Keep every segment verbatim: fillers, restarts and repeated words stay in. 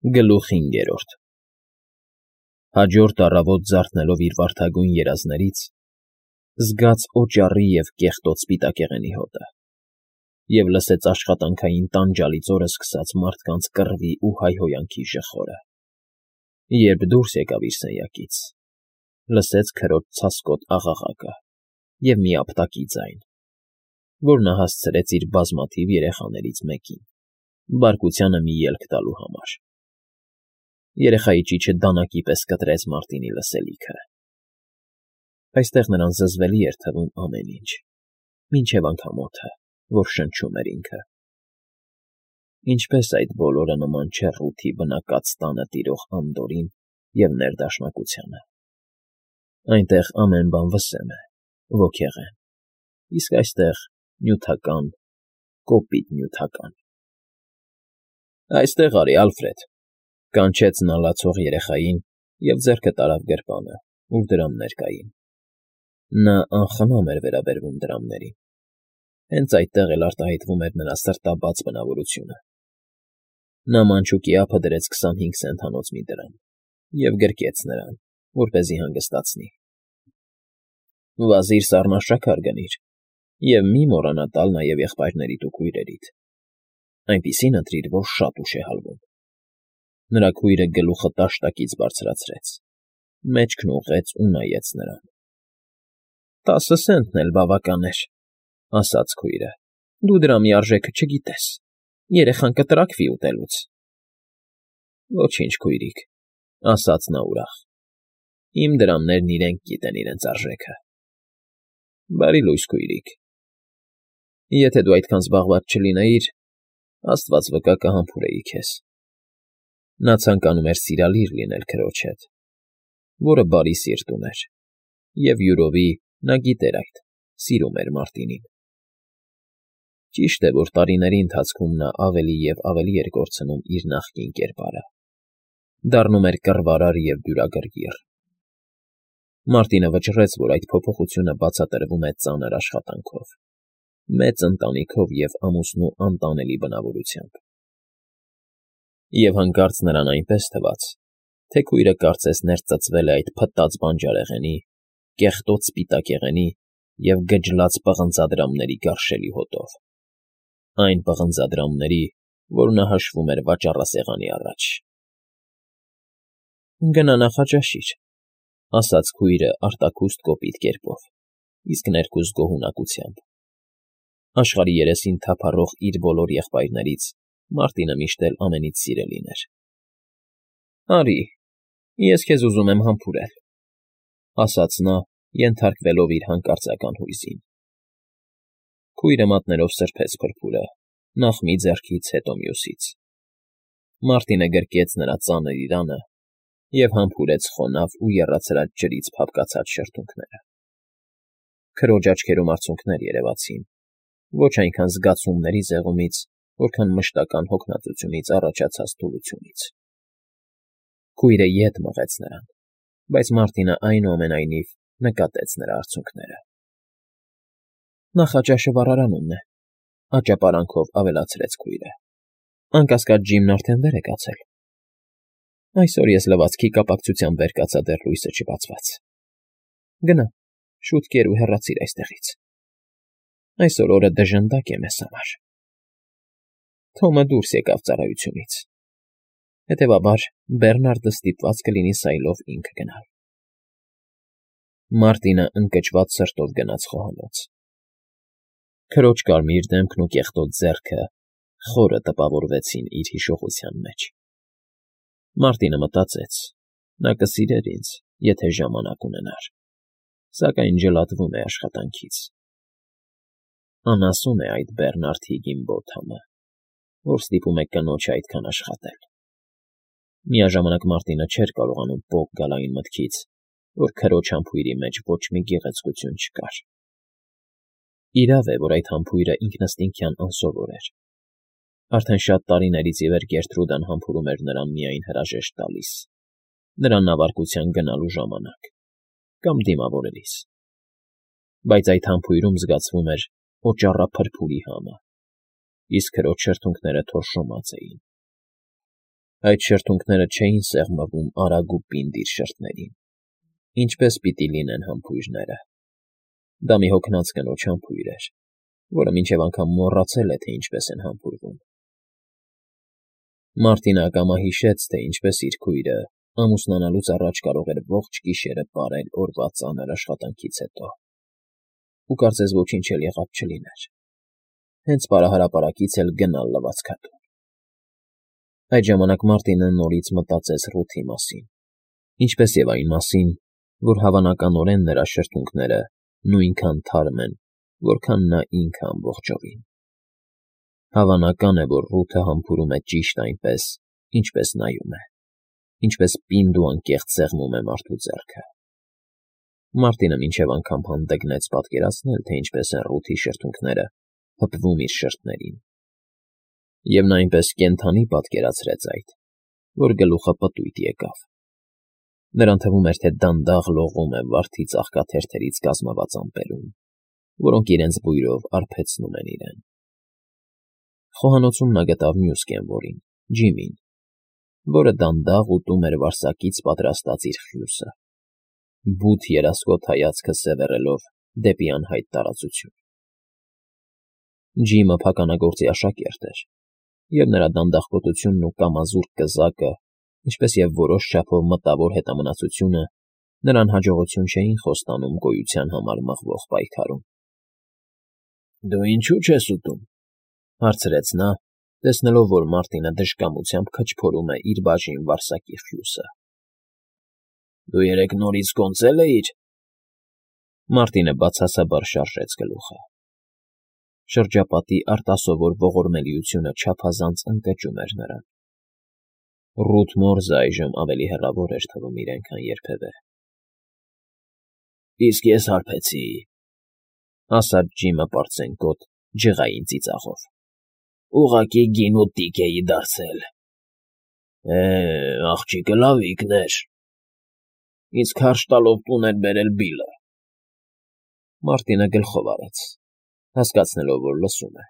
Գլուխ հինգերորդ Հաջորդ առավոտ զարթնելով իր վարդագույն երազներից, զգաց օճառի և կեղտոտ սպիտակեղենի հոտը և լսեց աշխատանքային տանջալից օրը սկսած մարդկանց կռվի ու հայհոյանքի ժխորը, երբ դուրս եկավ իր սենյակից, լսեց քրոջ ցասկոտ աղաղակը և մի ապտակի ձայն, որ նա հասցրեց իր բազմաթիվ երեխաներից մեկին, բարկությանը մի ելք տալու համար. երեխայի ճիչը դանակի պես կտրեց Մարտինի լսելիքը. այստեղ նրան զզվելի էր թվում ամեն ինչ, մինչև անգամ օդը, որ շնչում էր ինքը. ինչպես այդ բոլորը նման չէ Ռութի բնակած տանը տիրող անդորրին և ներդաշնակությանը. այնտեղ ամեն բան վսեմ է, ոգեղեն, իսկ այստեղ նյութական, կոպիտ նյութական։ Այստեղ արի, Ալֆրեդ,֊ կանչեց նա լացող երեխային և ձեռքը տարավ գրպանը, ուր դրամներ կային. նա անխնամ էր վերաբերվում դրամներին, հենց այդտեղ էլ արտահայտվում էր նրա սրտաբաց բնավորությունը։ Նա մանչուկի ափը դրեց քսանհինգ սենթանոց մի դրամ և գրկեց նրան, որպեսզի հանգստացնի։ Վազիր սառնաշաքար գնիր և մի մոռանա տալ նաև եղբայրներիդ ու քույրերիդ, այնպիսին ընտրիր, որ շատ ուշ է հալվում։ Նրա քույրը գլուխը տաշտակից բարձրացրեց, մեջքն ուղղեց ու նայեց նրան։ Տասը սենթն էլ բավական էր,֊ ասաց քույրը,֊ դու դրամի արժեքը չգիտես, երեխան կտրաքվի ուտելուց։ Ոչինչ, քույրիկ,֊ ասաց նա ուրախ,֊ իմ դրամներն իրենք գիտեն իրենց արժեքը։ Բարի լույս, քույրիկ, եթե դու այդքան զբաղված չլինեիր, աստված վկա կհամբուրեի քեզ։ Նա ցանկանում էր սիրալիր լինել քրոջ հետ, որը բարի սիրտ ուներ, և յուրովի, նա գիտեր այդ, սիրում էր Մարտինին։ Ճիշտ է, որ տարիների ընթացքում նա ավելի և ավելի էր կորցնում իր նախկին կերպարը, դառնում էր կռվարար և դյուրագրգիռ։ Մարտինը վճռեց, որ այդ փոփոխությունը բացատրվում է ծանր աշխատանքով, մեծ ընտանիքով և ամուսնու անտանելի բնավորությամբ։ Եվ հանկարծ նրան այնպես թվաց, թե քույրը կարծես ներծծվել է այդ փտած բանջարեղենի, կեղտոտ սպիտակեղենի և գջլած պղնձադրամների գարշելի հոտով, այն պղնձադրամների, որ նա հաշվում էր վաճառասեղանի առաջ։ Գնա նախաճաշիր,֊ ասաց քույրը արտաքուստ կոպիտ կերպով, իսկ ներքուստ գոհունակությամբ։ Աշխարհի երեսին թափառող իր բոլոր եղբայրներից Մարտինը միշտ էլ ամենից սիրելին էր։ Արի, ես քեզ ուզում եմ համբուրել,֊ ասաց նա, ենթարկվելով իր հանկարծական հույզին։ Քույրը մատներով սրբեց փրփուրը, նախ մի ձեռքից, հետո մյուսից։ Մարտինը գրկեց նրա ծանր իրանը և համբուրեց խոնավ ու եռացրած ջրից փափկացած շրթունքները։ Քրոջ աչքերում արցունքներ երևացին, ոչ այնքան զգացումների զեղումից, որքան մշտական հոգնածությունից առաջացած թուլությունից։ Քույրը ետ մղեց նրան, բայց Մարտինը այնուամենայնիվ նկատեց նրա արցունքները։ Նախաճաշը վառարանումն է,֊ աճապարանքով ավելացրեց քույրը։ Անկասկած Ջիմն արդեն վեր է կացել։ Այսօր ես լվացքի կապակցությամբ վեր կացա դեռ լույսը չբացված։ Գնա, շուտ կեր ու հեռացիր այստեղից։ Այսօր օրը դժնդակ է մեզ համար։ Թոմը դուրս եկավ ծառայությունից, հետևաբար Բերնարդը ստիպված կլինի սայլով ինքը գնալ։ Մարտինը ընկճված սրտով գնաց խոհանոց։ Քրոջ կարմիր դեմքն ու կեղտոտ ձեռքը խորը տպավորվեցին իր հիշողության մեջ։ Մարտինը մտածեց. նա կսիրեր ինձ, եթե ժամանակ ունենար, սակայն ջլատվում է աշխատանքից։ Անասուն է այդ Բերնարդ Հիգինբոթամը, որ ստիպում է կնոջը այդքան աշխատել։ Միաժամանակ Մարտինը չէր կարողանում պոկ գալ այն մտքից, որ քրոջ համբույրի մեջ ոչ մի գեղեցկություն չկար։ Իրավ է, որ այդ համբույրը ինքնըստինքյան անսովոր էր։ Արդեն շատ տարիներից ի վեր Գերտրուդան համբուրում էր նրան միայն հրաժեշտ տալիս, նրա նավարկության գնալու ժամանակ կամ դիմավորելիս։ Բայց այդ համբույրում զգացվում էր օճառափրփուրի համը, իսկ քրոջ շրթունքները թորշոմած էին։ Այդ շրթունքները չէին սեղմվում արագ ու պինդ իր շրթներին, ինչպես պիտի լինեն համբույրները. դա մի հոգնած կնոջ համբույր էր, որը մինչև անգամ մոռացել է, թե ինչպես են համբուրվում։ Մարտինը ակամա հիշեց, թե ինչպես իր քույրը ամուսնանալուց առաջ կարող էր ողջ գիշերը պարել օրվա ծանր աշխատանքից հետո, ու կարծես ոչինչ էլ եղած չլիներ, հենց պարահրապարակից էլ գնալ լվացքատուն։ Այդ ժամանակ Մարտինը նորից մտածեց Ռութի մասին, ինչպես և այն մասին, որ հավանականորեն նրա շրթունքները նույնքան թարմ են, որքան նա ինքը ամբողջովին։ Հավանական է, որ Ռութը համբուրում է ճիշտ այնպես, ինչպես նայում է, ինչպես պինդ ու անկեղծ սեղմում է մարդու ձեռքը։ Մարտինը մինչև անգամ հանդգնեց պատկերացնել, թե ինչպես են Ռութի շրթունքները հպվում իր շրթներին, և նա այնպես կենդանի պատկերացրեց այդ, որ գլուխը պտույտ եկավ։ Նրան թվում էր, թե դանդաղ լողում է վարդի ծաղկաթերթերից կազմված ամպերում, որոնք իրենց բույրով արբեցնում են իրեն։ Խոհանոցում նա գտավ մյուս կենվորին՝ Ջիմին, որը դանդաղ ուտում էր վարսակից պատրաստած իր խյուսը, բութ երասկոտ հայացքը սևեռելով դեպի անհայտ տարածություն։ Ջիմը փականագործի աշակերտ էր, և նրա դանդաղկոտությունն ու կամազուրկ կզակը, ինչպես և որոշ չափով մտավոր հետամնացությունը նրան հաջողություն չէին խոստանում գոյության համար մղվող պայքարում։ ֊ Դու ինչո՞ւ չես ուտում,֊ հարցրեց նա, տեսնելով, որ Մարտինը դժկամությամբ քչփորում է իր բաժին վարսակի խյուսը։ ֊ Դու երեկ նորից կոնծե՞լ էիր։ Մարտինը բացասաբար շարժեց գլուխը։ Շրջապատի արտասովոր ողորմելիությունը չափազանց ընկճում էր նրան։ Ռութ Մորզը այժմ ավելի հեռավոր էր թվում իրեն, քան երբևէ։ ֊ Իսկ ես հարբեցի,֊ ասաց Ջիմը պարծենկոտ, ջղային ծիծաղով,֊ ուղղակի գինուտիկ էի դարձել։ ֊ Է, աղջիկը լավիկն էր, իսկ հարճ տալով տուն էր բերել բիլը։ Մարտինը գլխով արեց, հասկացնելով, որ լսում է։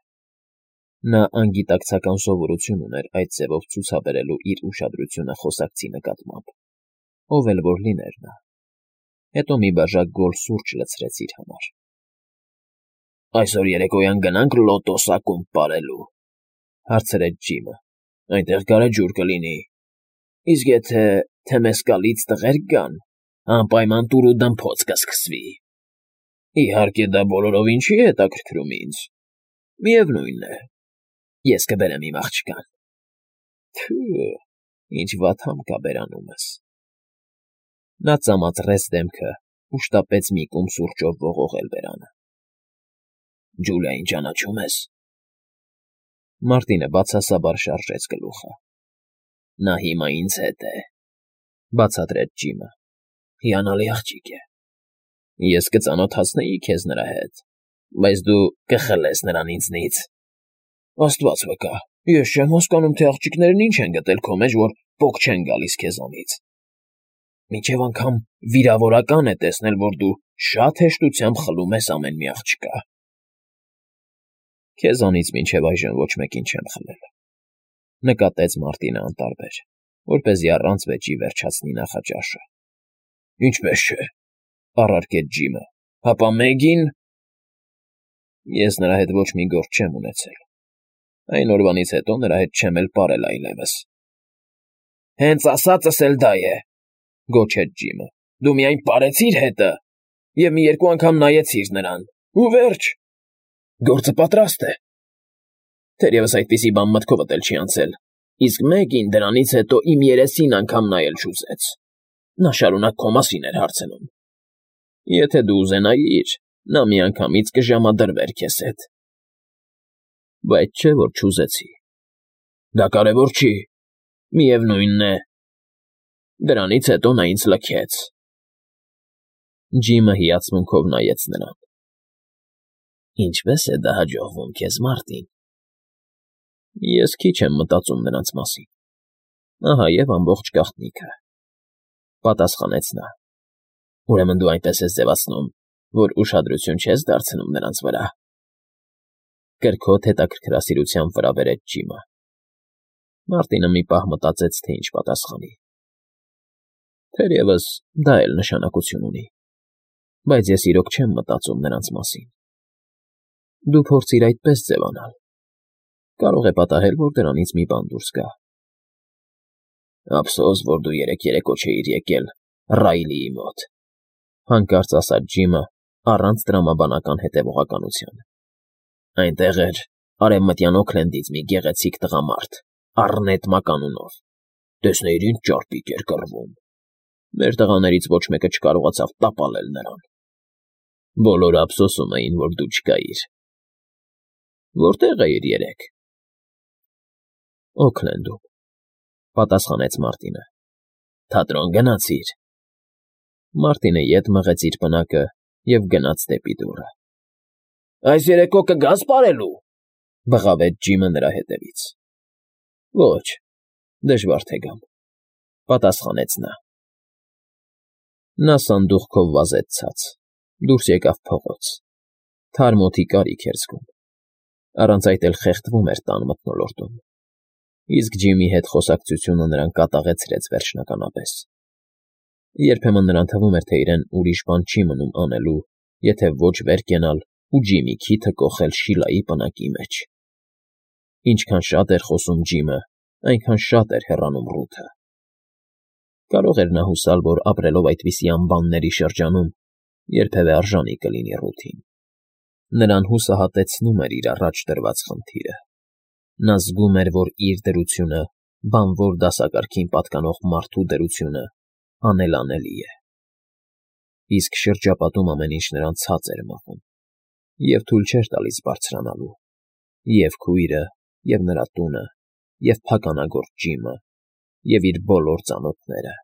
Նա անգիտակցական սովորություն ուներ այդ ձևով ցուցաբերելու իր ուշադրությունը խոսակցի նկատմամբ, ով էլ որ լիներ նա։ Հետո մի բաժակ գոլ սուրճ լցրեց իր համար։ ֊ Այսօր երեկոյան գնա՞նք Լոտոս ակումբ պարելու,֊ հարցրեց Ջիմը։ Այնտեղ գարեջուր կլինի։ Իսկ եթե թեմեսկալից տղերք գան, անպայման տուր ու դմփոց կսկսվի։ Իհարկե, դա բոլորովին չի հետաքրքրում ինձ։ Միևնույն է, ես կբերեմ իմ աղջկան։ Թը՜, ինչ վատ համ կա բերանումս։ Նա ծամածրեց դեմքը ու շտապեց մի կում սուրճով ողողել բերանը։ ֊ Ջուլիային ճանաչո՞ւմ ես։ Մարտինը բացասաբար շարժեց գլուխը։ ֊ Նա հիմա ինձ հետ է,֊ բացատրեց Ջիմը։ ֊ Հիանալի աղջիկ է։ Ես կծանոթացնեի քեզ նրա հետ, բայց դու կխլես նրան ինձնից։ Աստված վկա, ես չեմ հասկանում, թե աղջիկներն ինչ են գտել քո մեջ, որ պոկ չեն գալիս քեզանից։ Մինչև անգամ վիրավորական է տեսնել, որ դու շատ հեշտությամբ խլում ես ամեն մի աղջկա։ Քեզանից մինչև այժմ ոչ մեկին չեմ խլել,֊ նկատեց Մարտինը անտարբեր, որպեսզի առանց վեճի վերջացնի նախաճաշը։ ֊ Ինչպես չէ,֊ առարկեց Ջիմը,֊ հապա Մեգին… Ես նրա հետ ոչ մի գործ չեմ ունեցել։ Այն օրվանից հետո նրա հետ չեմ էլ պարել այլևս։ ֊ Հենց ասածս էլ դա է,֊ գոչեց Ջիմը,֊ դու միայն պարեցիր հետը և մի երկու անգամ նայեցիր նրան, ու վերջ… Գործը պատրաստ է։ Թերևս այդպիսի բան մտքովդ էլ չի անցել, իսկ Մեգին դրանից հետո իմ երեսին անգամ նայել չուզեց։ Նա շարունակ քո մասին էր հարցնում։ Եթե դու ուզենայիր, նա միանգամից կժամադրվեր քեզ հետ։ Բայց չէ՞ որ չուզեցի։ Դա կարևոր չի, միևնույն է… Դրանից հետո նա ինձ լքեց։ Ջիմը հիացմունքով նայեց նրան։ Ինչպե՞ս է դա հաջողվում քեզ, Մարտին։ Ես քիչ եմ մտածում նրանց մասին։ Ահա և ամբողջ գաղտնիքը,֊ պատասխանեց նա։ Ուրեմն դու այնպես ես ձևացնում, որ ուշադրություն չես դարձնում նրանց վրա։ Կրքոտ հետաքրքրասիրությամբ վրա բերեց Ջիմը։ Մարտինը մի պահ մտածեց, թե ինչ պատասխանի. թերևս դա էլ նշանակություն ունի, բայց ես իրոք չեմ մտածում նրանց մասին։ Դու փորձիր այդպես ձևանալ, կարող է պատահել, որ դրանից մի բան դուրս գա։ Ափսոս, որ դու երեկ երեկո չէիր եկել Ռայլիի մոտ, հանկարծ ասաց Ջիմը առանց տրամաբանական հետևողականության։ Այնտեղ էր Արևմտյան Օքլենդից մի գեղեցիկ տղամարդ, Առնետ մականունով, տեսնեիր ինչ ճարպիկ էր կռվում։ Մեր տղաներից ոչ մեկը չկարողացավ տապալել նրան։ Բոլորը ափսոսում էին, որ դու չկայիր։ Որտե՞ղ էիր երեկ։ Օքլենդում, պատասխանեց Մարտինը։ Թատրոն գնացիր։ Մարտինը ետ մղեց իր պնակը և գնաց դեպի դուռը։ Այս երեկո կգաս պարելու, բղավեց Ջիմը նրա հետևից։ Ոչ, դժվար թե գամ, պատասխանեց նա։ Նա սանդուղքով վազեց ցած, դուրս եկավ փողոց, թարմ օդի կարիք էր զգում, առանց այդ էլ խեղդվում էր տան մթնոլորտում, իսկ Ջիմի հետ խոսակցությունը նրան կատաղեցրեց վերջնականապես։ Երբեմն նրան թվում էր, թե իրեն ուրիշ բան չի մնում անելու, եթե ոչ վեր կենալ ու Ջիմի քիթը կոխել Շիլայի պնակի մեջ։ Ինչքան շատ էր խոսում Ջիմը, այնքան շատ էր հեռանում Ռութը։ Կարող էր նա հուսալ, որ ապրելով այդպիսի անբանների շրջանում, երբևէ արժանի կլինի Ռութին։ Նրան հուսահատեցնում էր իր առաջ դրված խնդիրը։ Նա զգում էր, որ իր դրությունը, բանվոր դասակարգին պատկանող մարդու դրությունը անելանելի է։ Իսկ շրջապատում ամեն ինչ նրան ցած էր մղում, և թույլ չէր տալիս բարձրանալու, և քույրը, և նրա տունը, և փականագործ Ջիմը, և իր բոլոր ծանոթները,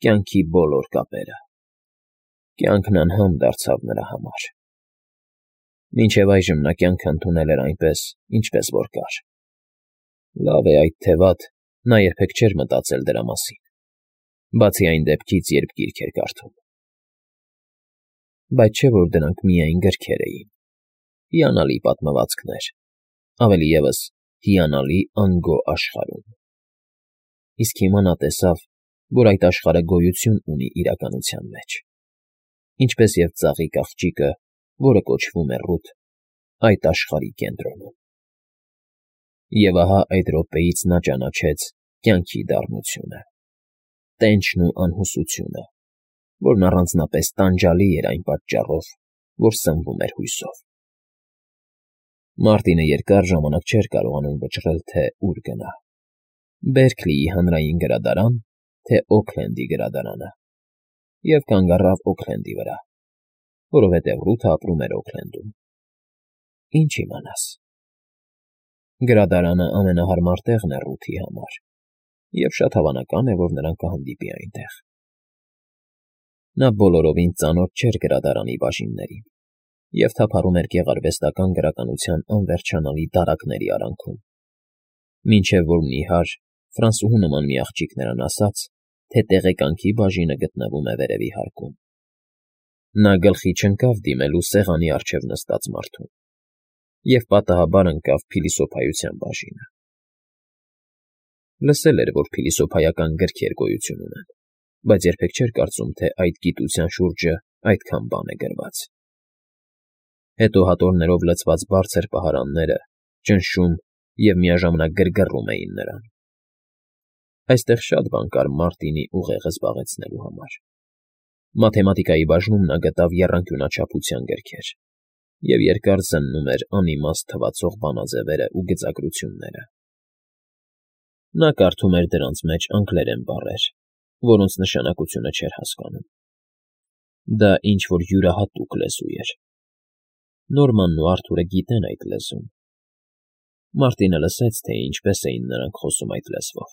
կյանքի բոլոր կապերը։ Կյանքն անհամ դարձավ նրա համար։ Մինչև այժմ նա կյանքը ընդունել էր այնպես, ինչպես որ կար։ Լավ է այդ թե վատ, նա երբեք չէր մտածել դրա մասին, բացի այն դեպքից, երբ գիրք էր կարդում։ Բայց չէ՞ որ դրանք միայն գրքեր էին, հիանալի պատմվածքներ, ավելի ևս հիանալի անգո աշխարհում։ Իսկ հիմա նա տեսավ, որ այդ աշխարհը գոյություն ունի իրականության մեջ, ինչպես և ծաղիկ աղջիկը, որը կոչվում է Ռութ, այդ աշխարհի կենտրոնում։ Եվ ահա այդ րոպեից նա ճանաչեց կյանքի դառնությունը, տենչն ու անհուսությունը, որն առանձնապես տանջալի էր այն պատճառով, որ սնվում էր հույսով։ Մարտինը երկար ժամանակ չէր կարողանում վճռել, թե ուր գնա. Բերքլիի հանրային գրադարան, թե Օքլենդի գրադարանը, և կանգ առավ Օքլենդի վրա, որովհետև Ռութը ապրում էր Օքլենդում։ Ինչ իմանաս։ Գրադարանը ամենահարմար տեղն է Ռութի համար, և շատ հավանական է, որ նրան կհանդիպի այնտեղ։ Նա բոլորովին ծանոթ չէր գրադարանի բաժիններին և թափառում էր գեղարվեստական գրականության անվերջանալի դարակների արանքում, մինչև որ նիհար, ֆրանսուհու նման մի աղջիկ նրան ասաց, թե տեղեկանքի բաժինը գտնվում է վերևի հարկում։ Նա գլխի չընկավ դիմելու սեղանի առջև նստած մարդուն և պատահաբար ընկավ փիլիսոփայության բաժինը։ Լսել էր, որ փիլիսոփայական գրքեր գոյություն ունեն, բայց երբեք չէր կարծում, թե այդ գիտության շուրջը այդքան բան է գրված։ Հետո հատորներով լցված բարձր պահարանները ճնշում և միաժամանակ գրգռում էին նրան։ Այստեղ շատ բան կար Մարտինի ուղեղը զբաղեցնելու համար։ Մաթեմատիկայի բաժնում նա գտավ եռանկյունաչափության գրքեր և երկար զննում էր անիմաստ թվացող բանաձևերը ու գծագրությունները։ Նա կարդում էր դրանց մեջ անգլերեն բառեր, որոնց նշանակությունը չէր հասկանում։ Դա ինչ֊որ յուրահատուկ լեզու էր։ Նորմանն ու Արթուրը գիտեն այդ լեզուն։ Մարտինը լսեց, թե ինչպես էին նրանք խոսում այդ լեզվով,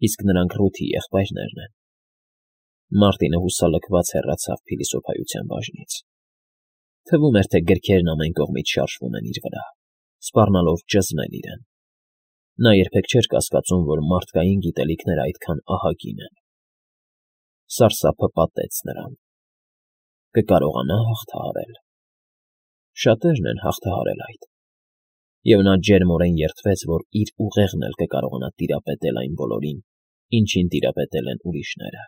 իսկ նրանք Ռութի եղբայրներն են։ Մարտինը հուսալքված հեռացավ փիլիսոփայության բաժնից։ Թվում էր, թե գրքերն ամեն կողմից շարժվում են իր վրա, սպառնալով ճզմել իրեն։ Նա երբեք չէր կասկածում, որ մարդկային գիտելիքները այդքան ահագին են։ Սարսափը պատեց նրան։ Կկարողանա՞ հաղթահարել։ Շատերն են հաղթահարել այդ։ և նա ջերմորեն երդվեց, որ իր ուղեղն էլ կկարողանա տիրապետել այն բոլորին, ինչին տիրապետել են ուրիշները,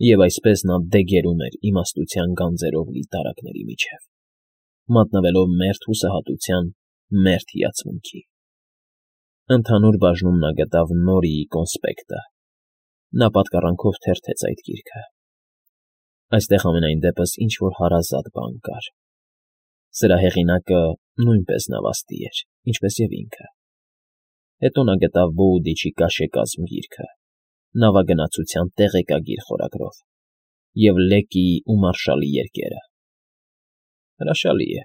և այսպես նա դեգերում էր իմաստության գանձերով լի տարրակների միջև, մատնվելով մերթ հուսահատության, մերթ հիացմունքի։ Ընդհանուր բաժնում նա գտավ Նորիի կոնսպեկտը։ Նա պատկառանքով թերթեց այդ գիրքը։ Այստեղ համենայն դեպս ինչ-որ հարազատ բան կար։ Սրա հեղինակը նույնպես նավաստի էր, ինչպես և ինքը։ Հետո նա գտավ Բոուդիչի կաշեկազմ գիրքը, նավագնացության տեղեկագիր խորագրով և Լեկիի ու Մարշալի երկերը։ Հրաշալի է,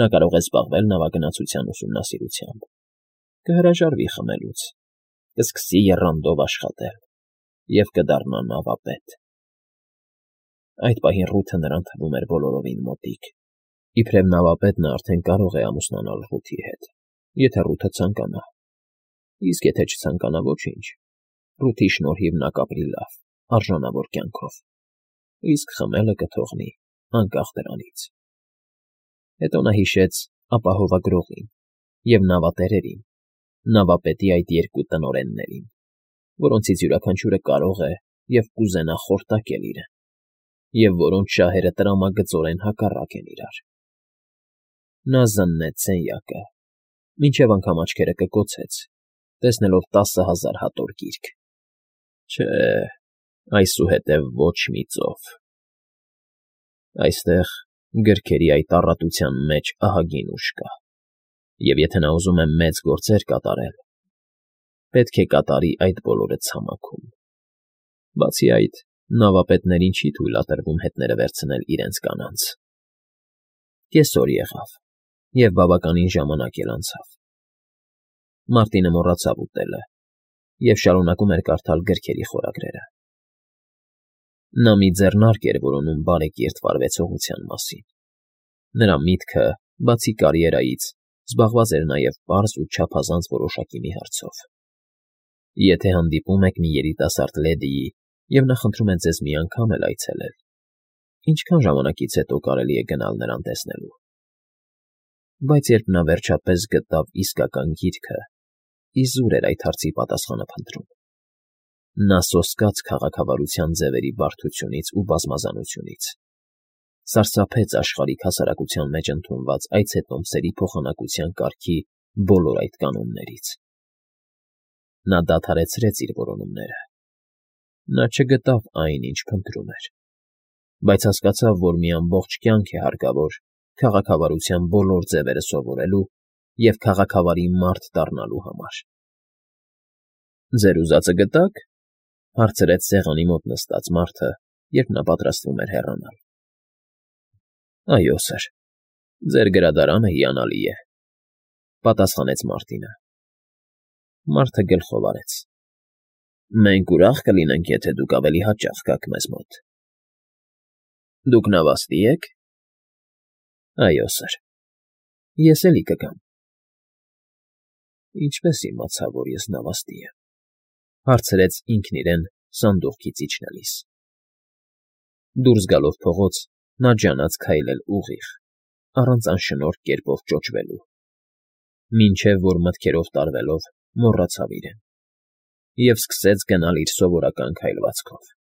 նա կարող է զբաղվել նավագնացության ուսումնասիրությամբ, կհրաժարվի խմելուց, կսկսի եռանդով աշխատել և կդառնա նավապետ։ Այդ պահին Ռութը նրան թվում էր բոլորովին մոտիկ, իբրև նավապետ նա արդեն կարող է ամուսնանալ Ռութի հետ, եթե Ռութը ցանկանա, իսկ եթե չցանկանա՝ ոչինչ, Ռութի շնորհիվ նա կապրի լավ, արժանավոր կյանքով, իսկ խմելը կթողնի անկախ դրանից։ Հետո նա հիշեց ապահովագրողին և նավատերերին, նավապետի այդ երկու տնօրեններին, որոնցից յուրաքանչյուրը կարող է և կուզենա խորտակել իրեն, և որոնց շահերը տրամագծորեն հակառակ են իրար։ Նա զննեց սենյակը, մինչև անգամ աչքերը կկոցեց, տեսնելով տասը հազար հատոր գիրք։ Չէ, այսուհետև ոչ մի ծով։ Այստեղ, գրքերի այդ առատության մեջ ահագին ուժ կա, և եթե նա ուզում է մեծ գործեր կատարել, պետք է կատարի այդ բոլորը ցամաքում։ Բացի այդ, նավապետներին չի թույլատրվում հետները վերցնել իրենց կանանց։ Կեսօր եղավ, և բավականին ժամանակ էլ անցավ։ Մարտինը մոռացավ ուտելը և շարունակում էր կարդալ գրքերի խորագրերը։ Նա մի ձեռնարկ էր որոնում բարեկիրթ վարվեցողության մասին։ Նրա միտքը, բացի կարիերայից, զբաղված էր նաև պարզ ու չափազանց որոշակի մի հարցով. Եթե հանդիպում եք մի երիտասարդ լեդիի և նա խնդրում է ձեզ մի անգամ էլ այցելել, ինչքան ժամանակից հետո կարելի է գնալ նրան տեսնելու։ Բայց երբ նա վերջապես գտավ իսկական գիրքը, իզուր էր այդ հարցի պատասխանը փնտրում։ Նա սոսկաց քաղաքավարության ձևերի բարդությունից ու բազմազանությունից, սարսափեց աշխարհիկ հասարակության մեջ ընդունված այցետոմսերի փոխանակության կարգի բոլոր այդ կանոններից։ Նա դադարեցրեց իր որոնումները։ Նա չգտավ այն, ինչ փնտրում էր, բայց հասկացավ, որ մի ամբողջ կյանք է հարկավոր քաղաքավարության բոլոր ձևերը սովորելու և քաղաքավարի մարդ դառնալու համար։ «Ձեր ուզածը գտա՞ք,֊ հարցրեց սեղանի մոտ նստած մարդը, երբ նա պատրաստվում էր հեռանալ։ ֊ Այո, սըր, ձեր գրադարանը հիանալի է,֊ պատասխանեց Մարտինը։ Մարդը գլխով արեց։ ֊ Մենք ուրախ կլինենք, եթե դուք ավելի հաճախ գաք մեզ մոտ։ ֊ Դուք նավաստի ե՞ք։ ֊ Այո, սըր, ես էլի կգամ։ ֊ Ինչպե՞ս իմացա, որ ես նավաստի եմ,֊ հարցրեց ինքն իրեն սանդուղքից իջնելիս։ Դուրս գալով փողոց, նա ջանաց քայլել ուղիղ, առանց անշնորհք կերպով ճոճվելու, մինչև որ մտքերով տարվելով մոռացավ իրեն և սկսեց գնալ իր սովորական քայլվածքով։